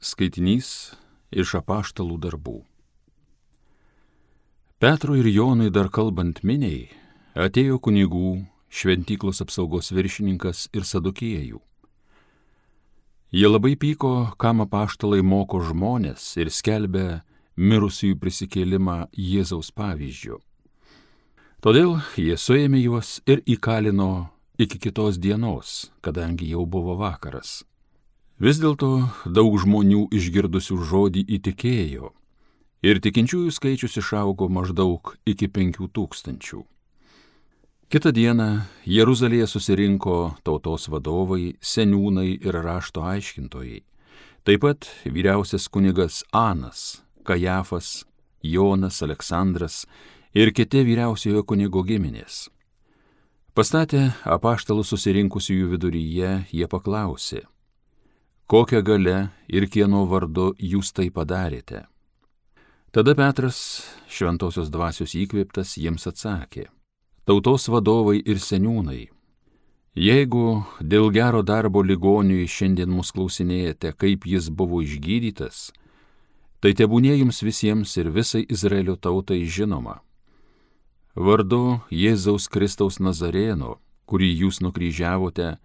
Skaitinys iš Apaštalų darbų. Petrui ir Jonui dar kalbant miniai, atėjo kunigų, šventyklos apsaugos viršininkas ir sadukiejų. Jie labai pyko, kam apaštalai moko žmonės ir skelbia mirusiųjų prisikėlimą Jėzaus pavyzdžiu. Todėl jie suėmė juos ir įkalino iki kitos dienos, kadangi jau buvo vakaras. Vis dėlto daug žmonių išgirdusių žodį įtikėjo ir tikinčiųjų skaičius išaugo maždaug iki 5000. Kitą dieną Jeruzalėje susirinko tautos vadovai, seniūnai ir rašto aiškintojai, taip pat vyriausias kunigas Anas, Kajafas, Jonas, Aleksandras ir kiti vyriausiojo kunigo giminės. Pastatę apaštalus susirinkusiųjų viduryje, jie paklausė: kokią galią ir kieno vardu jūs tai padarėte? Tada Petras, šventosios dvasios įkvėptas, jiems atsakė: tautos vadovai ir seniūnai, jeigu dėl gero darbo ligoniui šiandien mus klausinėjate, kaip jis buvo išgydytas, tai tebūnie jums visiems ir visai Izraelio tautai žinoma. Vardu Jėzaus Kristaus Nazarėno, kurį jūs nukryžiavote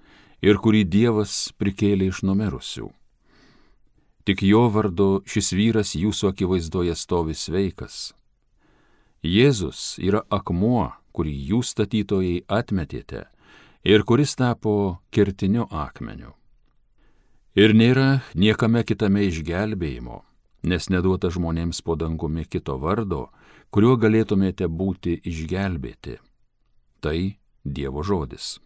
ir kurį Dievas prikėlė iš numirusių. Tik jo vardu šis vyras jūsų akivaizdoje stovi sveikas. Jėzus yra akmuo, kurį jūs statytojai atmetėte ir kuris tapo kertiniu akmeniu. Ir nėra niekame kitame išgelbėjimo, nes neduota žmonėms po dangumi kito vardo, kuriuo galėtumėte būti išgelbėti. Tai Dievo žodis.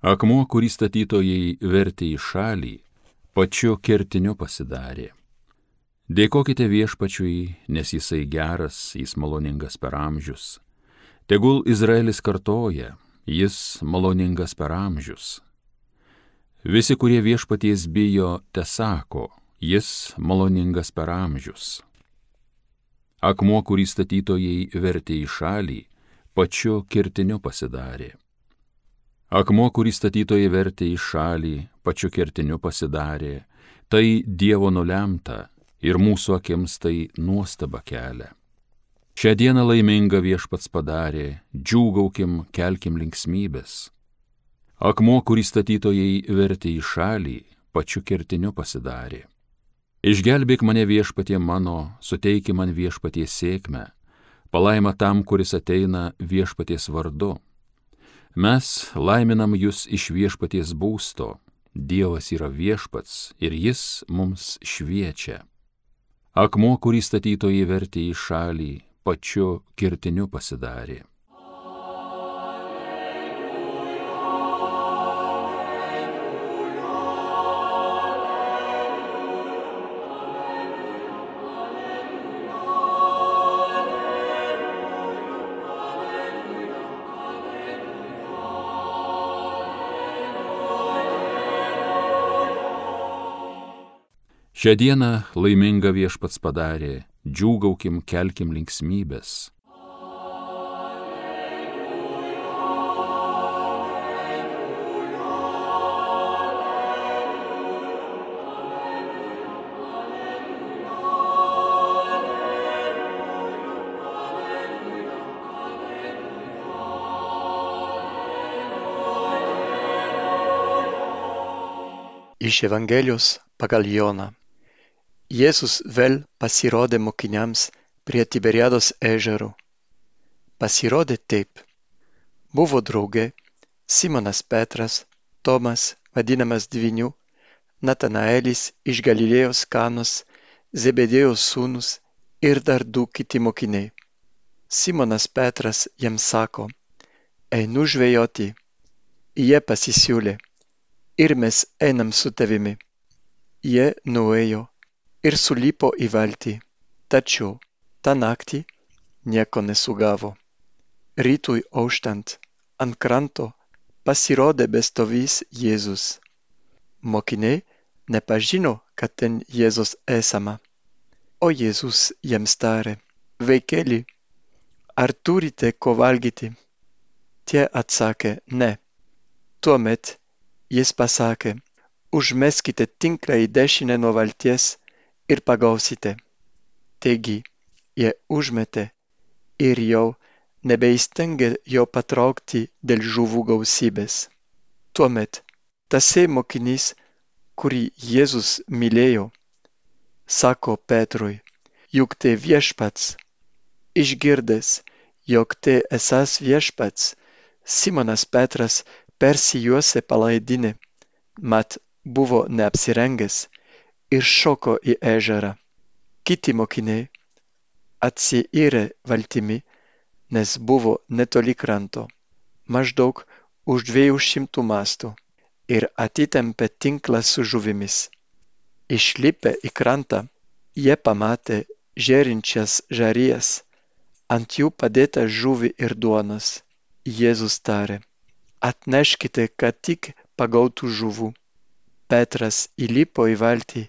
Akmuo, kurį statytojai vertė į šalį, pačiu kertiniu pasidarė. Dėkokite Viešpačiui, nes jisai geras, jis maloningas per amžius. Tegul Izraelis kartoja, jis maloningas per amžius. Visi, kurie Viešpaties bijo, tesako, jis maloningas per amžius. Akmuo, kurį statytojai vertė į šalį, pačiu kertiniu pasidarė. Akmuo, kurį statytojai vertė į šalį, pačiu kertiniu pasidarė, tai Dievo nulemta ir mūsų akims tai nuostaba kelia. Šią dieną laimingą Viešpats padarė, džiūgaukim, kelkim linksmybės. Akmuo, kurį statytojai vertė į šalį, pačiu kertiniu pasidarė. Išgelbėk mane Viešpatie mano, suteiki man Viešpaties sėkmę, palaima tam, kuris ateina Viešpaties vardu. Mes laiminam jūs iš Viešpaties būsto, Dievas yra Viešpats ir jis mums šviečia. Akmuo, kurį statytojai vertė į šalį, pačiu kertiniu pasidarė. Šią dieną laimingą Viešpats padarė, džiūgaukim, kelkim linksmybės. Iš Evangelijos pagal Joną. Jėzus vėl pasirodė mokiniams prie Tiberiados ežero. Pasirodė taip. Buvo drauge Simonas Petras, Tomas, vadinamas Dvyniu, Natanaelis iš Galilėjos Kanos, Zebedėjos sūnus ir dar 2 kiti mokiniai. Simonas Petras jam sako: einu žvejoti. Jie pasisiūlė: ir mes einam su tavimi. Jie nuėjo ir sulipo į valtį, tačiau tą naktį nieko nesugavo. Rytui auštant ant kranto pasirodė bestovys Jėzus. Mokiniai nepažino, kad ten Jėzus esama. O Jėzus jiems tarė: vaikeli, ar turite ko valgyti? Tie atsakė, ne. Tuomet jis pasakė, užmeskite tinklą į dešinę nuo valties ir pagausite. Taigi, jie užmetė ir jau nebeįstengė jo patraukti dėl žuvų gausybės. Tuomet tasai mokinys, kurį Jėzus mylėjo, sako Petrui, juk tai viešpats. Išgirdęs, jog tai esąs viešpats, Simonas Petras persijuosė palaidinę, mat buvo neapsirengęs ir šoko į ežerą. Kiti mokiniai atsiyrė valtimi, nes buvo netoli kranto, maždaug už 200 mastų, ir atitempė tinklą su žuvimis. Išlipę į krantą, jie pamatė žėrinčias žarijas, ant jų padėtą žuvį ir duonos. Jėzus tarė, atneškite, ką tik pagautų žuvų. Petras įlipo į valtį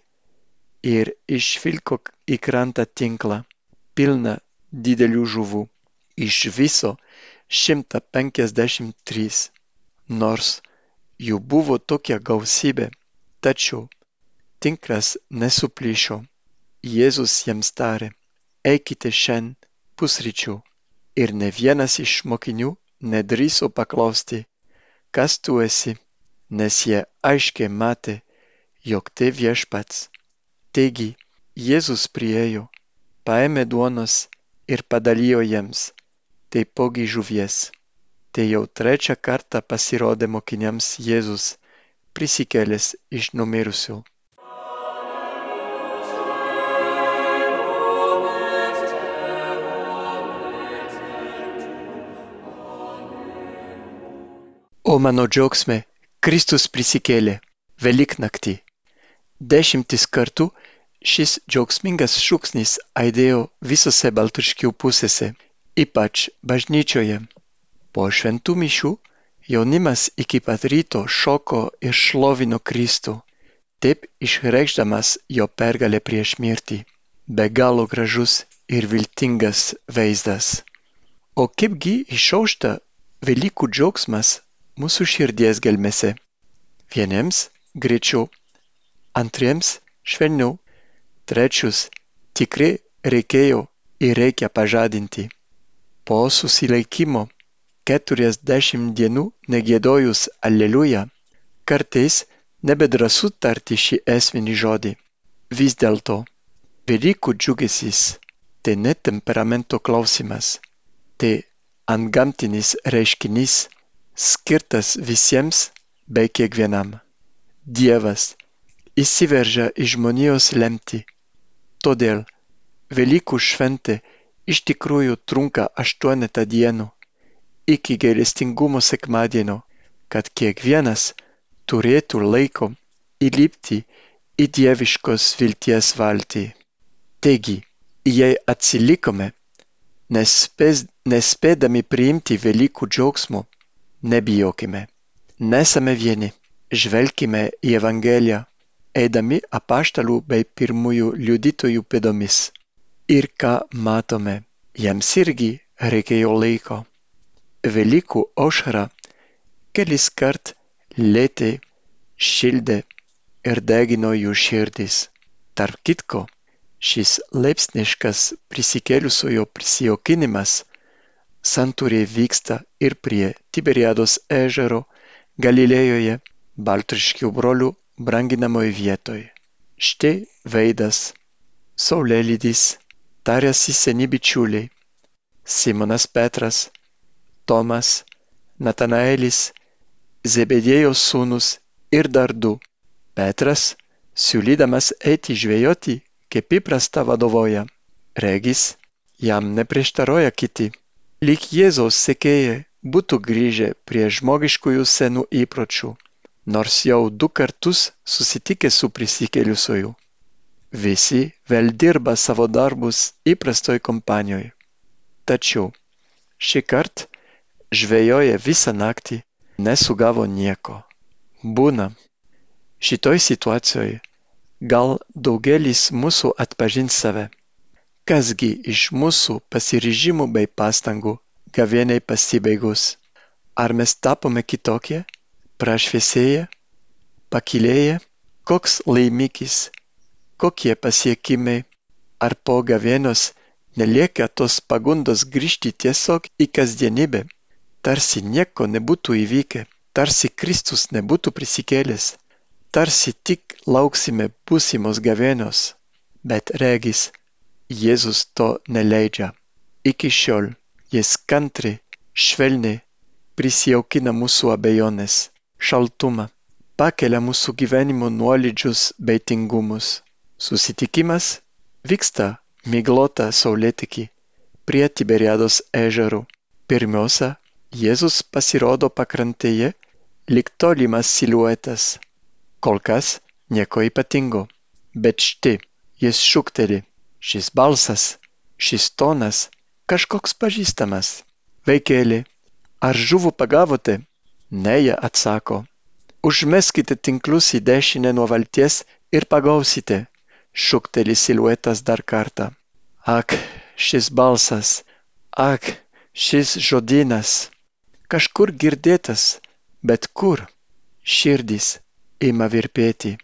ir išvilko į krantą tinklą, pilną didelių žuvų, iš viso 153. Nors jų buvo tokia gausybė, tačiau tinklas nesuplyšo. Jėzus jiems tarė, eikite šiandien pusryčių, ir ne vienas iš mokinių nedrįso paklausti, kas tu esi, nes jie aiškiai matė, jog tai viešpats. Taigi, Jėzus priėjo, paėmė duonos ir padalijo jiems, taipogi žuvies. Tai jau trečią kartą pasirodė mokiniams Jėzus, prisikėlęs iš numirusių. O mano džiaugsme, Kristus prisikėlė, Velyknaktį. 10 kartų šis džiaugsmingas šūksnis aidėjo visose Baltruškių pusėse, ypač bažnyčioje. Po šventų mišių jaunimas iki pat ryto šoko ir šlovino Kristų, taip išreikšdamas jo pergalę prieš mirtį. Be galo gražus ir viltingas vaizdas. O kaipgi išaušta Velykų džiaugsmas mūsų širdies gelmėse? Vieniems greičiau, antriems švelniau, trečius tikrai reikėjo ir reikia pažadinti. Po susilaikimo 40 dienų negiedojus Aleliuja, kartais nebedrąsu tarti šį esminį žodį. Vis dėlto, Velykų džiugesys tai ne temperamento klausimas, tai antgamtinis reiškinys, skirtas visiems bei kiekvienam. Dievas įsiveržia į žmonijos lemtį. Todėl Velykų šventė iš tikrųjų trunka 8 dienų iki gailestingumo sekmadienio, kad kiekvienas turėtų laiko įlipti į dieviškos vilties valtį. Taigi, jei atsilikome, nespėdami priimti Velykų džiaugsmo, nebijokime, nesame vieni, žvelkime į Evangeliją, eidami apaštalų bei pirmųjų liudytojų pėdomis. Ir ką matome, jiems irgi reikėjo laiko. Velykų aušra keliskart lietė, šildė ir degino jų širdis. Tarp kitko, šis laipsniškas prisikėlusiojo prisijaukinimas santūriai vyksta ir prie Tiberiados ežero Galilėjoje, Baltruškių brolių branginamoje vietoje. Štai veidas, saulėlydis, tariasi seni bičiuliai, Simonas Petras, Tomas, Natanaelis, Zebediejaus sūnus ir dar 2. Petras, siūlydamas eiti žvejoti, kaip įprasta vadovauja. Regis, jam neprieštaroja kiti. Lyg Jėzaus sekėjai būtų grįžę prie žmogiškųjų senų įpročių, nors jau 2 kartus susitikę su prisikėlusiuoju. Visi vėl dirba savo darbus įprastoj kompanijoje. Tačiau šįkart žvejoja visą naktį, nesugavo nieko. Būna. Šitoj situacijoje gal daugelis mūsų atpažins save. Kasgi iš mūsų pasiryžimų bei pastangų gavėniai pasibaigus? Ar mes tapome kitokie, prašviesėję, pakilėję? Koks laimikis, kokie pasiekimai? Ar po gavėnios nelieka tos pagundos grįžti tiesiog į kasdienybę, tarsi nieko nebūtų įvykę, tarsi Kristus nebūtų prisikėlęs, tarsi tik lauksime būsimos gavėnios, bet regis, Jėzus to neleidžia. Iki šiol jis kantriai, švelniai prisijaukina mūsų abejonės, šaltumą, pakelia mūsų gyvenimo nuolydžius bei tingumus. Susitikimas vyksta miglotą saulėtekį prie Tiberiados ežerų. Pirmiausia, Jėzus pasirodo pakrantėje lyg tolimas siluetas. Kol kas nieko ypatingo, bet štai jis šūkteli. Šis balsas, šis tonas, kažkoks pažįstamas. Vaikeli, ar žuvų pagavote? Ne, jie atsako. Užmeskite tinklus į dešinę nuo valties ir pagausite, šūkteli siluetas dar kartą. Ak, šis balsas, ak, šis žodynas. Kažkur girdėtas, bet kur? Širdis ima virpėti.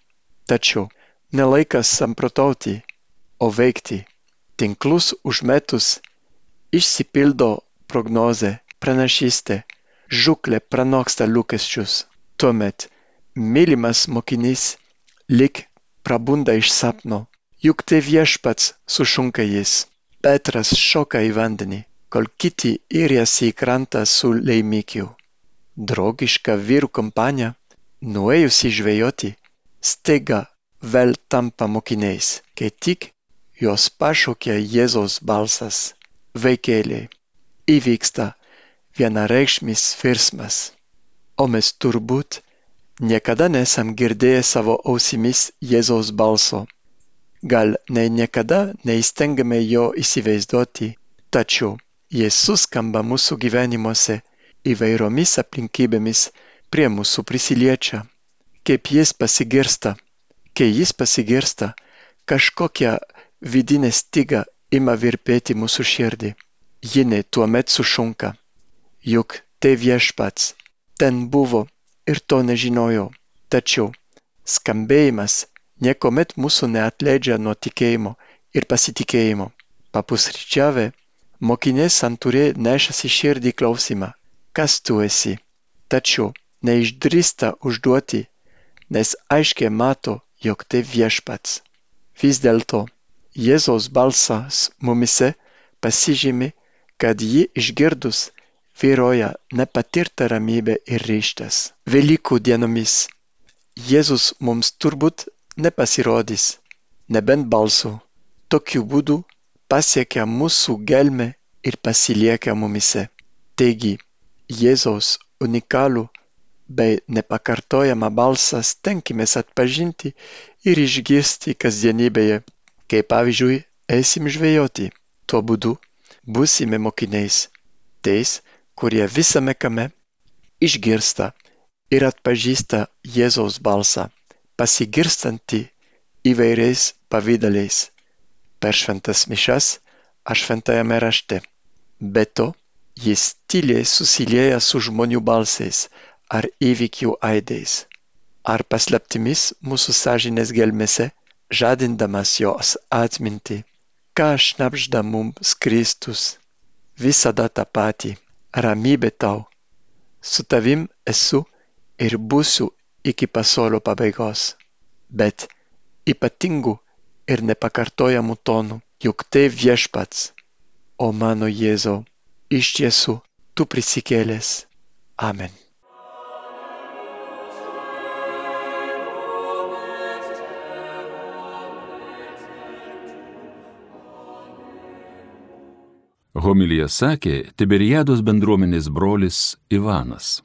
Tačiau nelaikas samprotauti, o veikti. Tinklus užmetus išsipildo prognozė, pranašystė, žūklė pranoksta lūkesčius. Tuomet mylimas mokinys lyg prabunda iš sapno, juk tai Viešpats, sušunka jis. Petras šoka į vandenį, kol kiti iriasi į krantą su laimikiu. Draugiška vyrų kompanija, nuėjusi žvejoti, staiga vėl tampa mokiniais, kai tik jos pašaukia Jėzaus balsas. Vaikeliai, įvyksta vienareikšmis virsmas. O mes turbūt niekada nesam girdėję savo ausimis Jėzaus balso. Gal niekada neįstengiame jo įsivaizduoti, tačiau jis suskamba mūsų gyvenimuose įvairiomis aplinkybėmis prie mūsų prisiliečia. Kaip jis pasigirsta, kai jis pasigirsta, kažkokia vidinė styga ima virpėti mūsų širdį. Jinai tuomet sušunka. Juk tai Viešpats, ten buvo ir to nežinojau. Tačiau skambėjimas niekuomet mūsų neatleidžia nuo tikėjimo ir pasitikėjimo. Papusryčiavę, mokiniai santūriai nešasi širdį klausimą. Kas tu esi? Tačiau neišdrįsta užduoti, nes aiškiai mato, jog tai Viešpats. Vis dėlto, Jėzaus balsas mumise pasižymi, kad jį išgirdus vyroja nepatirta ramybė ir ryžtas. Velykų dienomis Jėzus mums turbūt nepasirodys, nebent balsu. Tokiu būdu pasiekia mūsų gelmę ir pasilieka mumise. Taigi, Jėzaus unikalų bei nepakartojamą balsą stenkimės atpažinti ir išgirsti kasdienybėje. Kai pavyzdžiui, eisim žvejoti, tuo būdu būsime mokiniais, tais, kurie visame kame išgirsta ir atpažįsta Jėzaus balsą, pasigirstantį įvairiais pavydaliais, per šventas mišias ar šventajame rašte. Be to, jis tyliai susilieja su žmonių balsais ar įvykių aidais, ar paslaptimis mūsų sąžinės gelmėse, žadindamas jos atmintį, ką šnabžda mums Kristus. Visada tą patį, ramybė tau. Su tavim esu ir būsiu iki pasaulio pabaigos. Bet ypatingų ir nepakartojamų tonų, juk tai Viešpats. O mano Jėzau, iš tiesų tu prisikėlęs. Amen. Homiliją sakė Tiberiados bendruomenės brolis Ivanas.